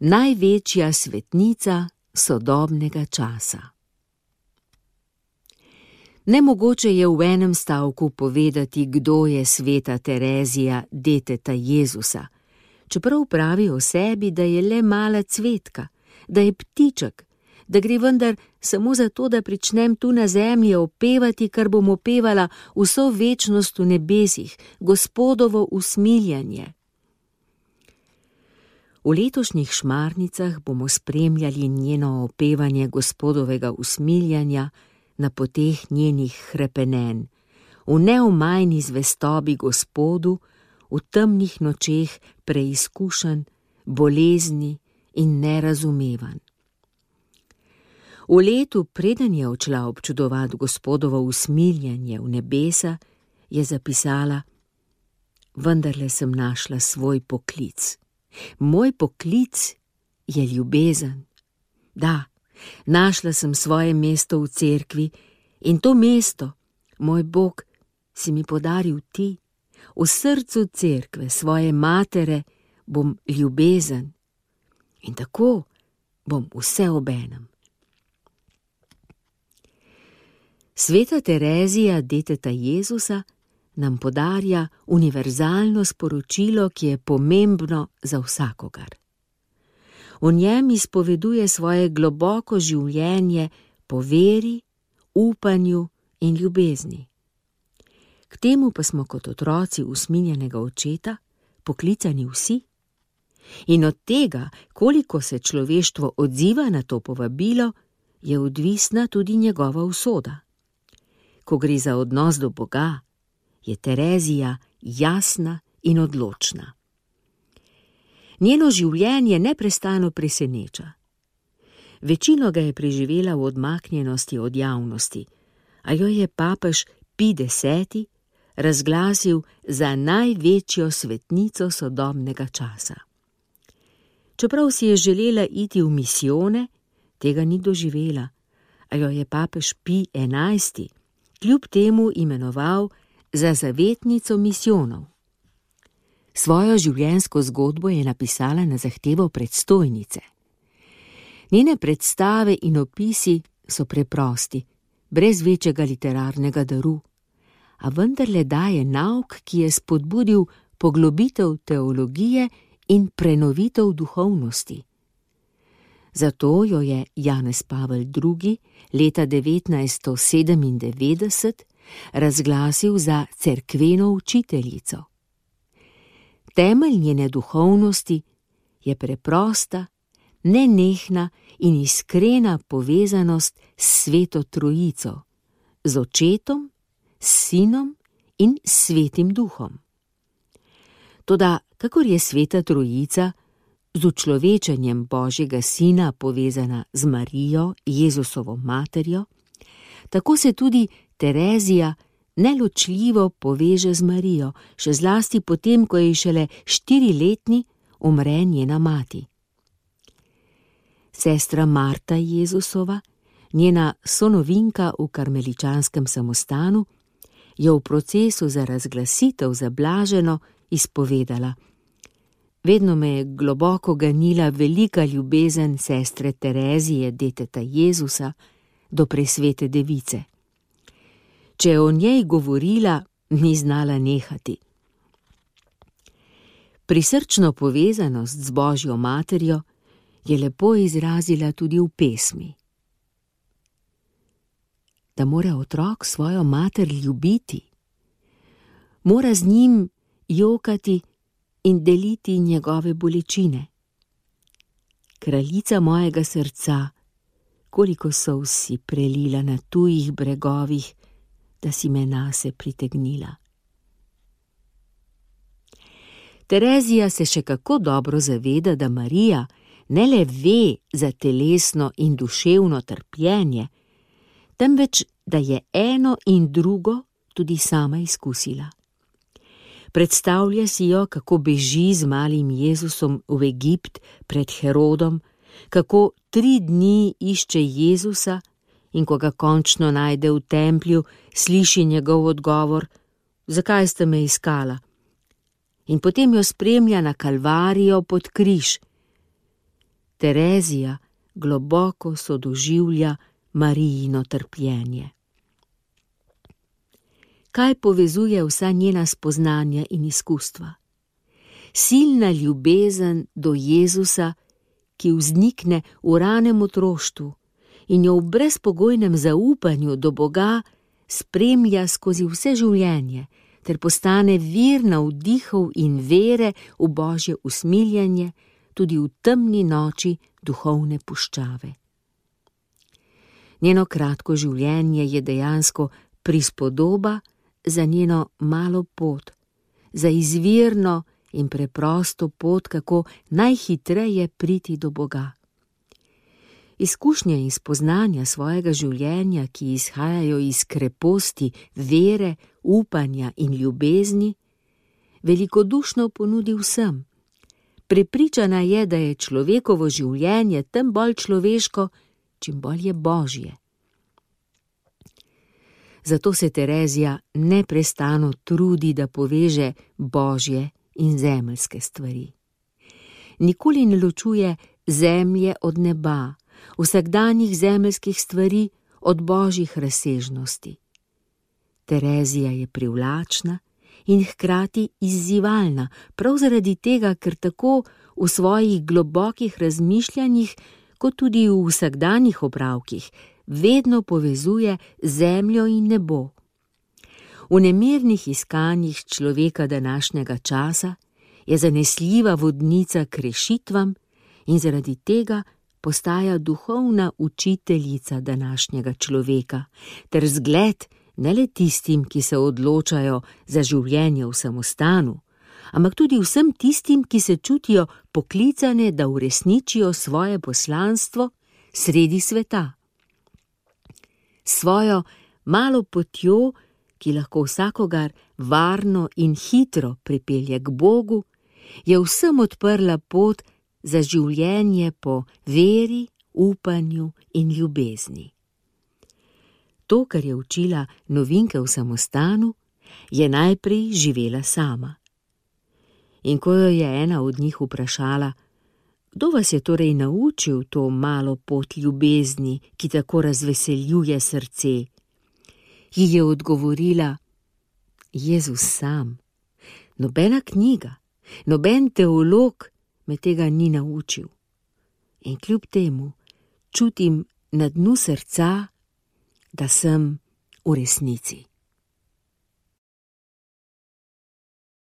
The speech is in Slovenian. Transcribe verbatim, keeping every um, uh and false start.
največja svetnica sodobnega časa. Nemogoče je v enem stavku povedati, kdo je sveta Terezija, deteta Jezusa, čeprav pravi o sebi, da je le mala cvetka, da je ptiček, da gre vendar samo zato, da pričnem tu na zemlji opevati, kar bom opevala vso večnost v nebesih, Gospodovo usmiljanje. V letošnjih Šmarnicah bomo spremljali njeno opevanje Gospodovega usmiljanja na poteh njenih hrepenenj, v neomajni zvestobi Gospodu, v temnih nočeh preizkušenj, bolezni in nerazumevanj. V letu, preden je odšla občudovat Gospodovo usmiljanje v nebesa, je zapisala: vendarle sem našla svoj poklic. Moj poklic je ljubezen. Da, našla sem svoje mesto v cerkvi in to mesto, moj Bog, si mi podaril ti. V srcu cerkve svoje matere bom ljubezen in tako bom vse obenem. Sveta Terezija, deteta Jezusa, nam podarja univerzalno sporočilo, ki je pomembno za vsakogar. V njem izpoveduje svoje globoko življenje po veri, upanju in ljubezni. K temu pa smo kot otroci usmiljenega očeta poklicani vsi. In od tega, koliko se človeštvo odziva na to povabilo, je odvisna tudi njegova usoda. Ko gre za odnos do Boga, je Terezija jasna in odločna. Njeno življenje neprestano preseneča. Večino ga je preživela v odmaknjenosti od javnosti, a jo je papež Pij deseti razglasil za največjo svetnico sodobnega časa. Čeprav si je želela iti v misijone, tega ni doživela, a jo je papež Pij enajsti kljub temu imenoval za zavetnico misijonov. Svojo življenjsko zgodbo je napisala na zahtevo predstojnice. Njene predstave in opisi so preprosti, brez večjega literarnega daru, a vendarle daje nauk, ki je spodbudil poglobitev teologije in prenovitev duhovnosti. Zato jo je Janez Pavel drugi leta devetnajststo sedemindevetdeset razglasil za cerkveno učiteljico. Temelj njene duhovnosti je preprosta, nenehna in iskrena povezanost s Sveto Trojico, z Očetom, s Sinom in Svetim Duhom. Toda, kakor je Sveta Trojica z učlovečenjem Božjega Sina povezana z Marijo, Jezusovo materjo, tako se tudi Terezija neločljivo poveže z Marijo, še zlasti potem, ko je šele štiriletni umre njena mati. Sestra Marta Jezusova, njena sonovinka v karmeličanskem samostanu, je v procesu za razglasitev za blaženo izpovedala: vedno me je globoko ganila velika ljubezen sestre Terezije, deteta Jezusa, do presvete device. Če je o njej govorila, ni znala nehati. Prisrčno povezanost z Božjo materjo je lepo izrazila tudi v pesmi. Da mora otrok svojo mater ljubiti, mora z njim jokati in deliti njegove bolečine. Kraljica mojega srca, koliko solz si prelila na tujih bregovih, da si me nase pritegnila. Terezija se še kako dobro zaveda, da Marija ne le ve za telesno in duševno trpljenje, temveč da je eno in drugo tudi sama izkusila. Predstavlja si jo, kako beži z malim Jezusom v Egipt pred Herodom, kako tri dni išče Jezusa in ko ga končno najde v templju, sliši njegov odgovor: zakaj ste me iskala? In potem jo spremlja na Kalvarijo pod križ. Terezija globoko sodoživlja Marijino trpljenje. Kaj povezuje vsa njena spoznanja in izkustva? Silna ljubezen do Jezusa, ki vznikne v ranem otroštvu in jo v brezpogojnem zaupanju do Boga spremlja skozi vse življenje, ter postane vir navdihov in vere v Božje usmiljanje tudi v temni noči duhovne puščave. Njeno kratko življenje je dejansko prispodoba za njeno malo pot, za izvirno in preprosto pot, kako najhitreje priti do Boga. Izkušnje in spoznanja svojega življenja, ki izhajajo iz kreposti, vere, upanja in ljubezni, velikodušno ponudi vsem. Prepričana je, da je človekovo življenje tem bolj človeško, čim bolj je Božje. Zato se Terezija neprestano trudi, da poveže Božje in zemeljske stvari. Nikoli ne ločuje zemlje od neba, vsakdanjih zemeljskih stvari od božjih razsežnosti. Terezija je privlačna in hkrati izzivalna, prav zaradi tega, ker tako v svojih globokih razmišljanjih, kot tudi v vsakdanjih opravkih, vedno povezuje zemljo in nebo. V nemirnih iskanjih človeka današnjega časa je zanesljiva vodnica k rešitvam in zaradi tega postaja duhovna učiteljica današnjega človeka, ter zgled ne le tistim, ki se odločajo za življenje v samostanu, ampak tudi vsem tistim, ki se čutijo poklicane, da uresničijo svoje poslanstvo sredi sveta. Svojo malo potjo, ki lahko vsakogar varno in hitro pripelje k Bogu, je vsem odprla pot za življenje po veri, upanju in ljubezni. To, kar je učila novinke v samostanu, je najprej živela sama. In ko jo je ena od njih vprašala, kdo vas je torej naučil to malo pot ljubezni, ki tako razveseljuje srce, ji je odgovorila: Jezus sam. Nobena knjiga, noben teolog me tega ni naučil. In kljub temu čutim na dnu srca, da sem v resnici.